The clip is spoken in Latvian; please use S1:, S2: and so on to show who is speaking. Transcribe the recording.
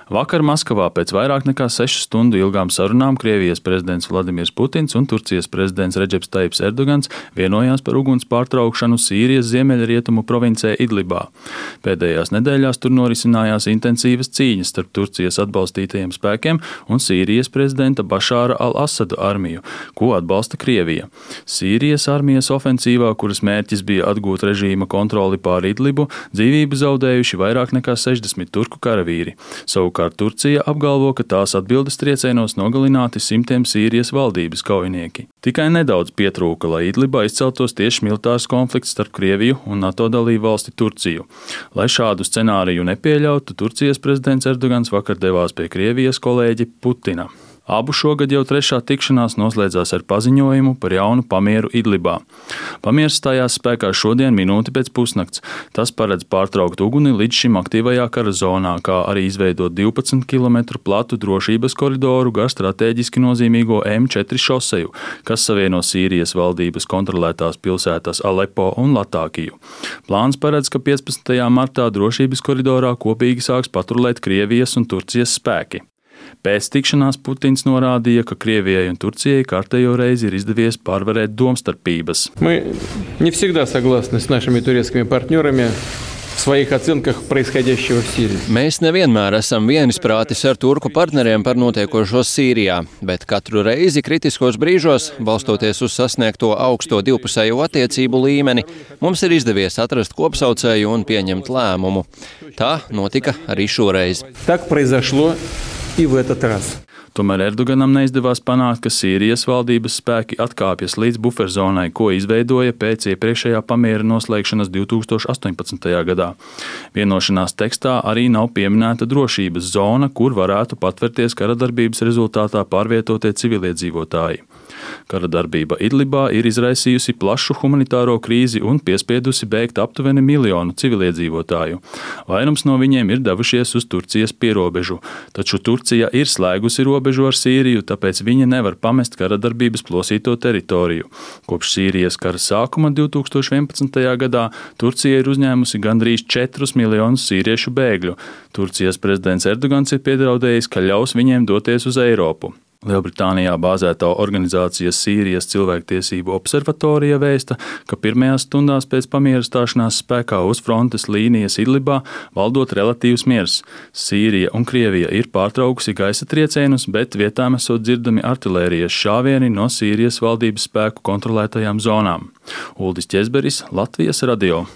S1: Vakar Maskavā pēc vairāk nekā 6 stundu ilgām sarunām Krievijas prezidents Vladimirs Putins un Turcijas prezidents Redžeps Tajibs Erdogans vienojās par uguns pārtraukšanu Sīrijas ziemeļrietumu provincē Idlibā. Pēdējās nedēļās tur norisinājās intensīvas cīņas starp Turcijas atbalstītajiem spēkiem un Sīrijas prezidenta Bašāra al-Asada armiju, ko atbalsta Krievija. Sīrijas armijas ofensīvā, kuras mērķis bija atgūt režīma kontroli pār Idlibu, dzīvību zaudējuši vairāk nekā 60 turku karavīri. Savukārt Turcija apgalvo, ka tās atbildes triecienos nogalināti simtiem Sīrijas valdības kaujinieki. Tikai nedaudz pietrūka, lai Idlibā izceltos tieši militārs konflikts starp Krieviju un NATO dalību valsti Turciju. Lai šādu scenāriju nepieļautu, Turcijas prezidents Erdogans vakar devās pie Krievijas kolēģi Putina. Abu šogad jau trešā tikšanās noslēdzās ar paziņojumu par jaunu pamieru Idlibā. Pamiers stājās spēkā šodien minūti pēc pusnakts. Tas paredz pārtraukt uguni līdz šim aktīvajā kara zonā, kā arī izveidot 12 km platu drošības koridoru gar strateģiski nozīmīgo M4 šoseju, kas savieno Sīrijas valdības kontrolētās pilsētas Alepo un Latākiju. Plāns paredz, ka 15. martā drošības koridorā kopīgi sāks patrulēt Krievijas un Turcijas spēki. Pēc tikšanās Putins norādīja, ka Krievijai un Turcijai kārtējo reizi ir izdevies pārvarēt domstarpības.
S2: Мы не всегда согласны с нашими турецкими партнерами в своих оценках происходящего в Сирии.
S3: Mēs nevienmēr esam vienisprātis ar turku partneriem par notiekošo Sīrijā, bet katru reizi kritiskos brīžos, balstoties uz sasniegto augsto divpusējo attiecību līmeni, mums ir izdevies atrast kopsaucēju un pieņemt lēmumu. Tā notika arī šoreiz.
S2: Так произошло и в этот раз.
S1: Tomēr Erdoganam neizdevās panākt, ka Sīrijas valdības spēki atkāpjas līdz buferzonai, ko izveidoja pēc iepriekšējā pamiera noslēgšanas 2018. gadā. Vienošanās tekstā arī nav pieminēta drošības zona, kur varētu patvērties karadarbības rezultātā pārvietotie civiliedzīvotāji. Karadarbība Idlibā ir izraisījusi plašu humanitāro krīzi un piespiedusi bēgt aptuveni 1 miljonu civiliedzīvotāju. Vairums no viņiem ir devušies uz Turcijas pierobežu, taču Turcija ir slēgusi robežu ar Sīriju, tāpēc viņa nevar pamest karadarbības plosīto teritoriju. Kopš Sīrijas kara sākuma 2011. gadā Turcija ir uzņēmusi gandrīz 4 miljonus sīriešu bēgļu. Turcijas prezidents Erdogans ir piedraudējis, ka ļaus viņiem doties uz Eiropu. Lielbritānijā bāzētā organizācija Sīrijas cilvēktiesību observatorija vēsta, ka pirmajās stundās pēc pamiera stāšanās spēkā uz frontes līnijas Idlibā valdot relatīvs miers. Sīrija un Krievija ir pārtraukusi gaisa triecienus, bet vietām esot dzirdami artilērijas šāvieni no Sīrijas valdības spēku kontrolētajām zonām. Uldis Ķezberis, Latvijas radio.